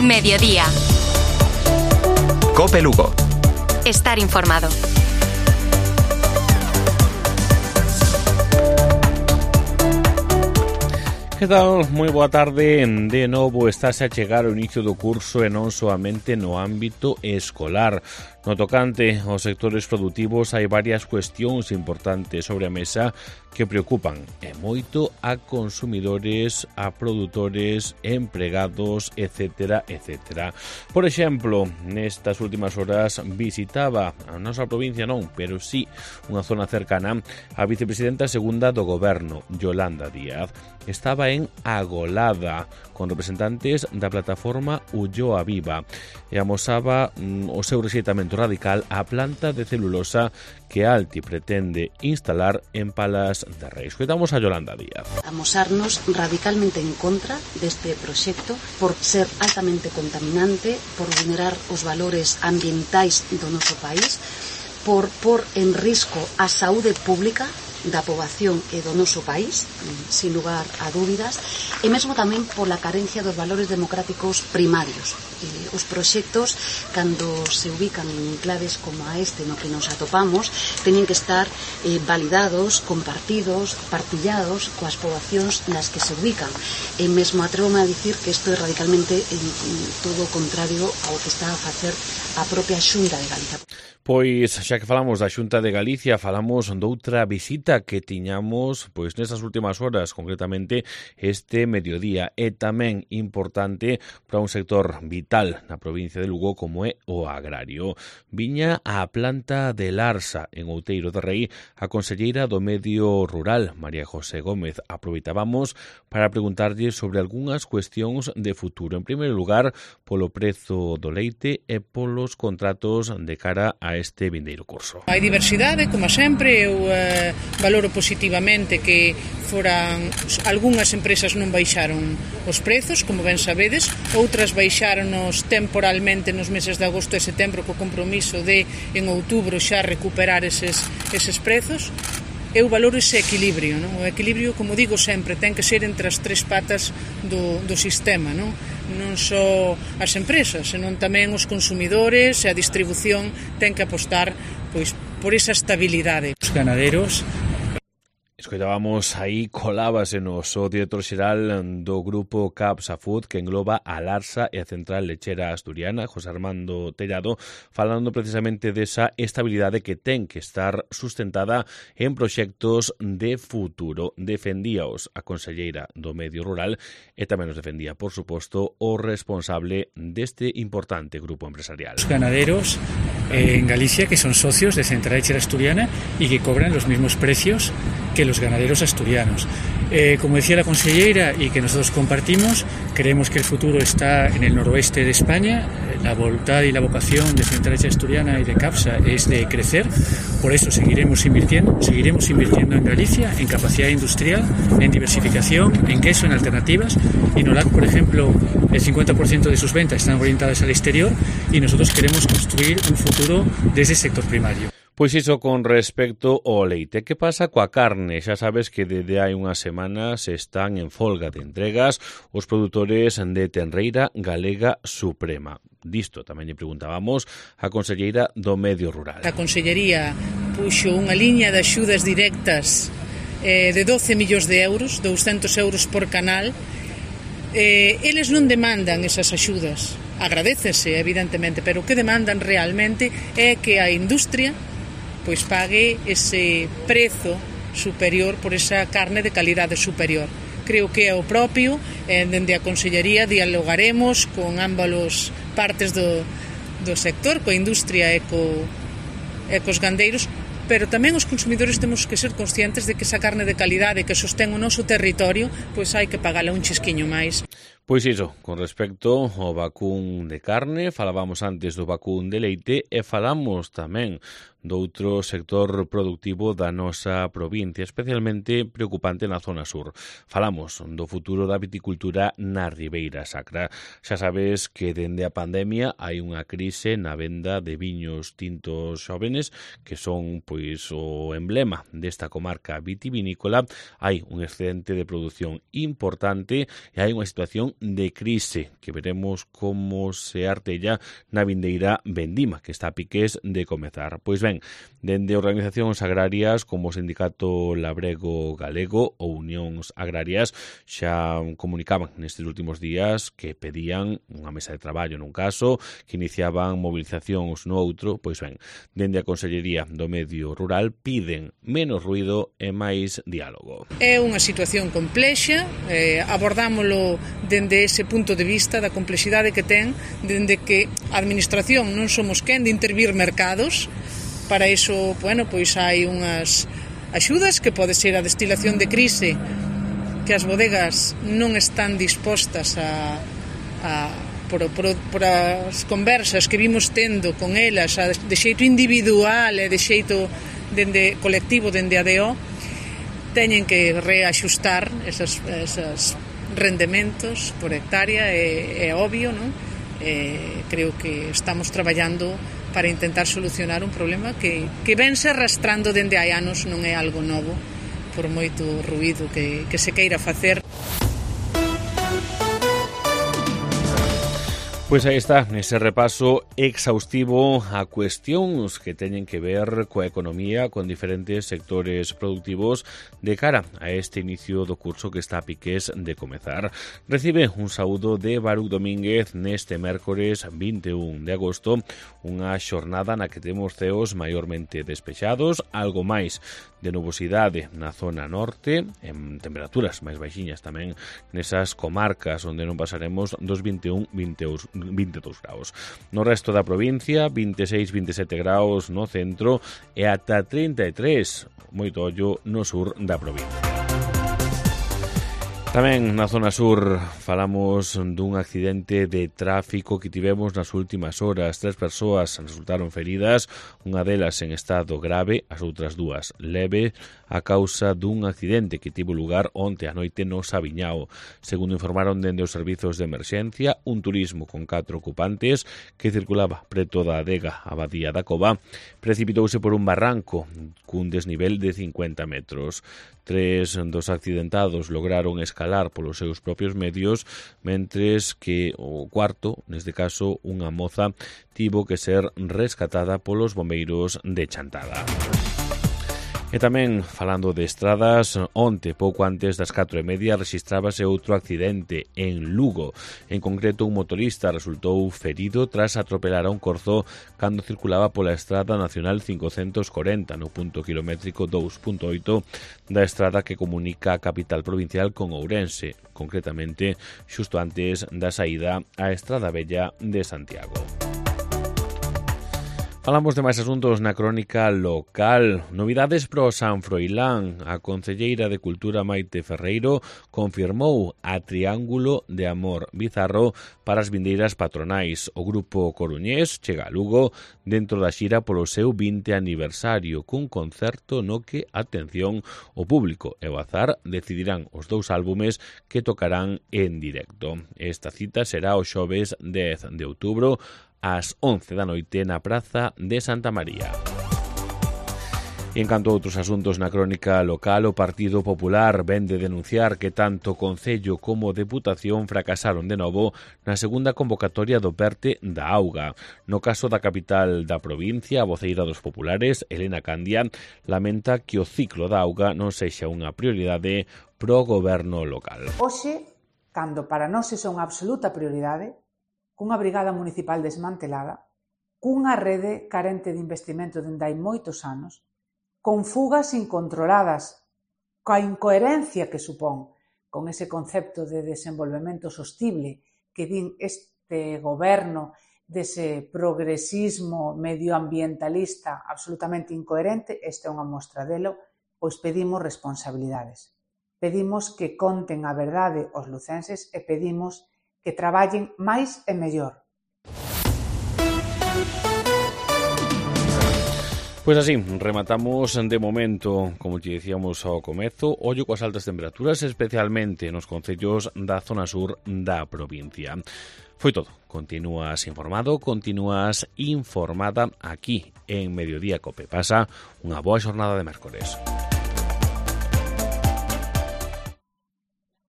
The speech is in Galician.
Mediodía. COPE Lugo. Estar informado. Que tal? Moi boa tarde. De novo estase a chegar o inicio do curso e non soamente no ámbito escolar. No tocante aos sectores produtivos hai varias cuestións importantes sobre a mesa que preocupan e moito a consumidores, a produtores, empregados, etc. Por exemplo, nestas últimas horas visitaba a nosa provincia non, pero sí unha zona cercana a vicepresidenta segunda do goberno, Yolanda Díaz. Estaba en Agolada con representantes da plataforma Ulloa Viva e amosaba o seu rexeitamento radical á planta de celulosa que Alti pretende instalar en Palas de Rei. Escoitamos a Yolanda Díaz. Amosarnos radicalmente en contra deste proxecto por ser altamente contaminante, por vulnerar os valores ambientais do noso país, por pôr en risco a saúde pública da poboación e do noso país, sin lugar a dúbidas, e mesmo tamén pola carencia dos valores democráticos primarios. Os proxectos, cando se ubican en enclaves como a este no que nos atopamos, teñen que estar validados, compartidos, partillados coas poboacións nas que se ubican. E mesmo atrevo-me a dicir que isto é radicalmente todo o contrario ao que está a facer a propia Xunta de Galicia. Pois, xa que falamos da Xunta de Galicia, falamos doutra visita que tiñamos pois nesas últimas horas, concretamente este mediodía, e tamén importante para un sector vital na provincia de Lugo como é o agrario. Viña á planta de Larsa, en Outeiro de Rei, a conselleira do Medio Rural, María José Gómez. Aproveitábamos para preguntarlle sobre algunhas cuestións de futuro. En primeiro lugar, polo prezo do leite e polos contratos de cara a este vindeiro curso. Hai diversidade, como sempre, eu valoro positivamente que foran algunhas empresas non baixaron os prezos, como ben sabedes, outras baixáronos temporalmente nos meses de agosto e setembro co compromiso de en outubro xa recuperar eses prezos. Eu valoro ese equilibrio, non? O equilibrio, como digo sempre, ten que ser entre as tres patas do sistema, non? Non só as empresas, senón tamén os consumidores e a distribución ten que apostar pois por esa estabilidade. Os ganaderos. Escoitábamos aí, colábase o director xeral do grupo Capsa Food, que engloba a Larsa e a Central Lechera Asturiana, José Armando Tellado, falando precisamente desa estabilidade que ten que estar sustentada en proxectos de futuro. Defendíaos a conselleira do Medio Rural e tamén os defendía, por suposto, o responsable deste importante grupo empresarial. Os ganaderos en Galicia que son socios de Central Lechera Asturiana y que cobran los mismos precios que los ganaderos asturianos. Como decía la consellera y que nosotros compartimos, creemos que el futuro está en el noroeste de España. La voluntad y la vocación de Central Lechera Asturiana y de Capsa es de crecer. Por eso seguiremos invirtiendo en Galicia, en capacidad industrial, en diversificación, en queso, en alternativas. Y Nolac, por ejemplo, el 50% de sus ventas están orientadas al exterior y nosotros queremos construir un futuro desde el sector primario. Pois iso con respecto ao leite. Que pasa coa carne? Xa sabes que desde hai unhas semanas están en folga de entregas os produtores de Tenreira Galega Suprema. Disto tamén lle preguntábamos a conselleira do Medio Rural. A consellería puxo unha liña de axudas directas de 12 millóns de euros, 200 euros por canal. Eles non demandan esas axudas. Agradécese, evidentemente, pero o que demandan realmente é que a industria pois pague ese prezo superior por esa carne de calidade superior. Creo que é o propio, dende a Consellería dialogaremos con ambas partes do sector, coa industria e cos gandeiros, pero tamén os consumidores temos que ser conscientes de que esa carne de calidade que sostén o noso territorio, pois hai que pagala un chisquiño máis. Pois iso, con respecto ao vacún de carne, falábamos antes do vacún de leite e falamos tamén doutro sector productivo da nosa provincia, especialmente preocupante na zona sur. Falamos do futuro da viticultura na Ribeira Sacra. Xa sabes que dende a pandemia hai unha crise na venda de viños tintos xóvenes que son pois o emblema desta comarca vitivinícola. Hai un excedente de produción importante e hai unha situación de crise que veremos como se artella na vindeira vendima que está a piques de comezar. Pois ben, dende organizacións agrarias como o Sindicato Labrego Galego ou Unións Agrarias xa comunicaban nestes últimos días que pedían unha mesa de traballo nun caso, que iniciaban movilizacións no outro. Pois ben, dende a Consellería do Medio Rural piden menos ruido e máis diálogo. É unha situación complexa, abordámolo dende ese punto de vista da complexidade que ten, dende que a Administración non somos quen de intervir mercados. Para iso, pois hai unhas axudas que pode ser a destilación de crise que as bodegas non están dispostas por as conversas que vimos tendo con elas de xeito individual e de xeito dende colectivo, dende a DO, teñen que reaxustar esos rendementos por hectárea, é obvio, non? Creo que estamos traballando para intentar solucionar un problema que vense arrastrando dende hai anos, non é algo novo, por moito ruído que se queira facer. Pois aí está, ese repaso exhaustivo a cuestións que teñen que ver coa economía, con diferentes sectores productivos de cara a este inicio do curso que está a piques de comezar. Recibe un saúdo de Baruch Domínguez neste mércores 21 de agosto, unha xornada na que temos ceos maiormente despexados, algo máis de nubosidade na zona norte, en temperaturas máis baixiñas tamén nesas comarcas onde non pasaremos dos 22 graus. No resto da provincia, 26-27 graus no centro e ata 33, moito ollo, no sur da provincia. Tamén na zona sur falamos dun accidente de tráfico que tivemos nas últimas horas. 3 persoas resultaron feridas, unha delas en estado grave, as outras 2 leve, a causa dun accidente que tivo lugar onte a noite no Sabiñao. Segundo informaron dende os servizos de emerxencia, un turismo con 4 ocupantes que circulaba preto da adega Abadía da Cova precipitouse por un barranco cun desnivel de 50 metros. 3 dos accidentados lograron escalar polos seus propios medios, mentres que o cuarto, neste caso unha moza, tivo que ser rescatada polos bombeiros de Chantada. E tamén, falando de estradas, onte, pouco antes das 4:30, rexistrábase outro accidente en Lugo. En concreto, un motorista resultou ferido tras atropelar a un corzo cando circulaba pola Estrada Nacional 540 no punto kilométrico 2.8 da estrada que comunica a capital provincial con Ourense, concretamente xusto antes da saída á Estrada Vella de Santiago. Falamos de máis asuntos na crónica local. Novidades pro San Froilán. A concelleira de Cultura Maite Ferreiro confirmou a Triángulo de Amor Bizarro para as vindeiras patronais. O grupo coruñés chega a Lugo dentro da xira polo seu 20 aniversario, cun concerto no que, atención, o público e o azar decidirán os 2 álbumes que tocarán en directo. Esta cita será o xoves 10 de outubro ás 11 da noite na Praza de Santa María. E en canto a outros asuntos na crónica local, o Partido Popular vén de denunciar que tanto o Concello como a Deputación fracasaron de novo na segunda convocatoria do PERTE da auga. No caso da capital da provincia, a voceira dos populares, Elena Candia, lamenta que o ciclo da auga non sexa unha prioridade pro goberno local. Hoxe, cando para nós é unha absoluta prioridade, cunha brigada municipal desmantelada, cunha rede carente de investimento dende hai moitos anos, con fugas incontroladas, coa incoherencia que supón con ese concepto de desenvolvemento sostible que din este goberno dese progresismo medioambientalista absolutamente incoherente. Esta é unha mostra delo, pois pedimos responsabilidades. Pedimos que conten a verdade os lucenses e pedimos que traballen máis e mellor. Pois así, rematamos de momento, como te dicíamos ao comezo, ollo coas altas temperaturas, especialmente nos concellos da zona sur da provincia. Foi todo. Continúas informado, continúas informada aquí en Mediodía Cope. Pasa unha boa xornada de mércores.